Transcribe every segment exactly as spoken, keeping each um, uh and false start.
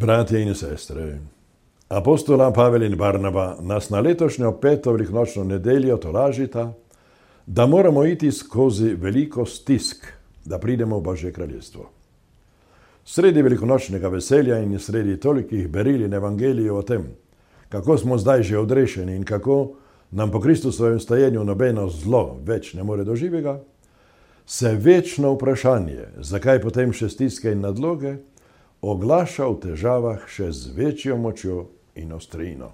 Bratje in sestre, apostola Pavel in Barnaba nas na letošnjo peto velikonočno nedeljo tolažita, da moramo iti skozi veliko stisk, da pridemo v Božje kraljestvo. Sredi velikonočnega veselja in sredi tolikih beril in evangelijev o tem, kako smo zdaj že odrešeni in kako nam po Kristusovem stajenju nobeno zlo več ne more doživega, se večno vprašanje, zakaj potem še stiske in nadloge, oglaša v težavah še z večjo močjo in ostrino.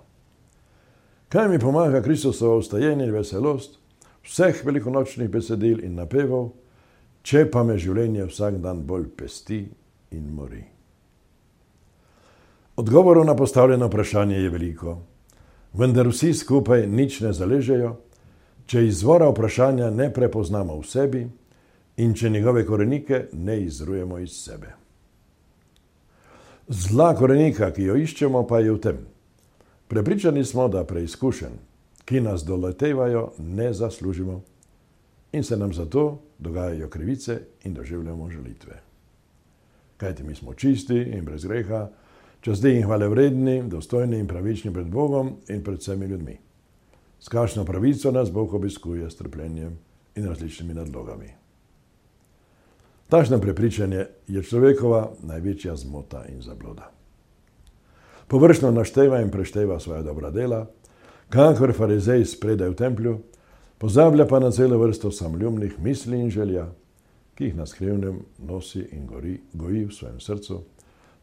Kaj mi pomaga Kristusovo vstajenje in veselost vseh velikonočnih besedil in napevov, če pa me življenje vsak dan bolj pesti in mori? Odgovorov na postavljeno vprašanje je veliko, vendar vsi skupaj nič ne zaležejo, če izvora vprašanja ne prepoznamo v sebi in če njegove korenike ne izrujemo iz sebe. Zla korenika, ki jo iščemo, pa je v tem. Prepričani smo, da preizkušenj, ki nas doletevajo, ne zaslužimo in se nam zato dogajajo krivice in doživljamo žalitve. Kajti mi smo čisti in brez greha, časti in hvale vredni, dostojni in pravični pred Bogom in pred vsemi ljudmi. S kakšno pravico nas Bog obiskuje s trpljenjem in različnimi nadlogami. Takšno prepričanje je človekova največja zmota in zabloda. Površno našteva in prešteva svoja dobra dela, kakor farizej spredaj v templju, pozablja pa na celo vrsto samoljubnih misli in želja, ki jih na skrivnem nosi in gori, goji v svojem srcu,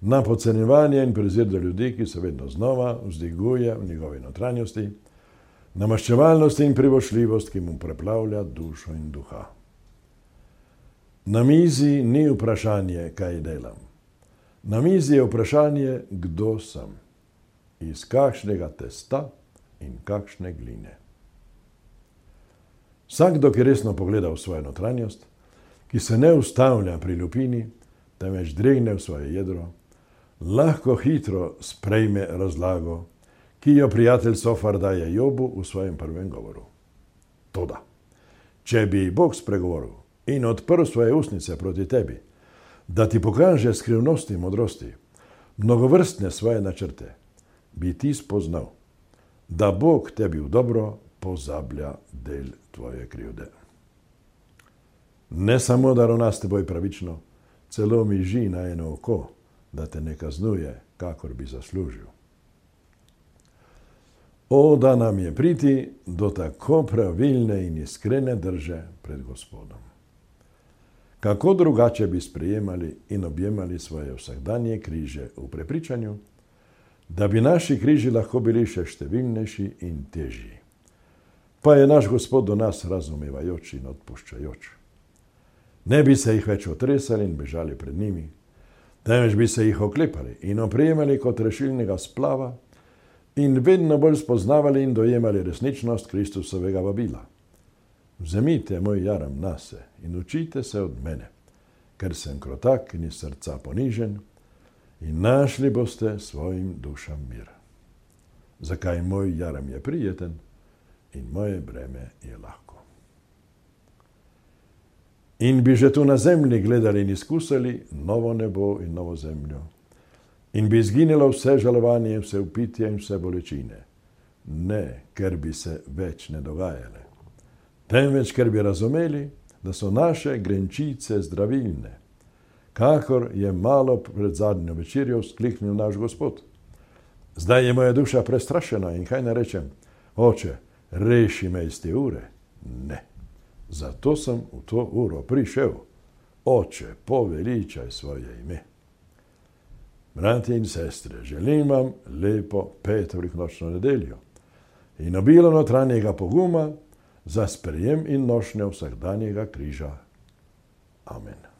na podcenjevanje in prezir do ljudi, ki se vedno znova vzdiguje v njegovi notranjosti, na maščevalnost in privošljivost, ki mu preplavlja dušo in duha. Na mizi ni vprašanje, kaj delam. Na mizi je vprašanje, kdo sem, iz kakšnega testa in kakšne gline. Vsakdo, ki resno pogleda v svojo notranjost, ki se ne ustavlja pri lupini, temveč dregne v svoje jedro, lahko hitro sprejme razlago, ki jo prijatelj Sofar daje Jobu v svojem prvem govoru. Toda, če bi Bog spregovoril in odprl svoje ustnice proti tebi, da ti pokaže skrivnosti modrosti, mnogovrstne svoje načrte, bi ti spoznal, da Bog tebi v dobro pozablja del tvoje krivde. Ne samo, da ravna s teboj pravično, celo miži na eno oko, da te ne kaznuje, kakor bi zaslužil. O, da nam je priti do tako pravilne in iskrene drže pred Gospodom. Kako drugače bi sprejemali in objemali svoje vsakdanje križe v prepričanju, da bi naši križi lahko bili še številnejši in težji. Pa je naš Gospod do nas razumevajoč in odpuščajoč. Ne bi se jih več otresali in bežali pred njimi, temveč bi se jih oklepali in oprijemali kot rešilnega splava in vedno bolj spoznavali in dojemali resničnost Kristusovega vabila. Vzemite moj jaram nase in učite se od mene, ker sem krotak in iz srca ponižen, in našli boste svojim dušam mir. Zakaj moj jaram je prijeten in moje breme je lahko. In bi že tu na zemlji gledali in izkusili novo nebo in novo zemljo. In bi izginilo vse žalovanje, vse upitje in vse bolečine. Ne, ker bi se več ne dogajale, temveč ker bi razumeli, da so naše grenčice zdravilne, kakor je malo pred zadnjo večerjo vzkliknil naš Gospod. Zdaj je moja duša prestrašena in kaj ne rečem? Oče, reši me iz te ure. Ne, zato sem v to uro prišel. Oče, poveličaj svoje ime. Bratje in sestre, želim vam lepo peto velikonočno nedeljo in obilo notranjega poguma za sprejem in nošnjo vsakdanjega križa. Amen.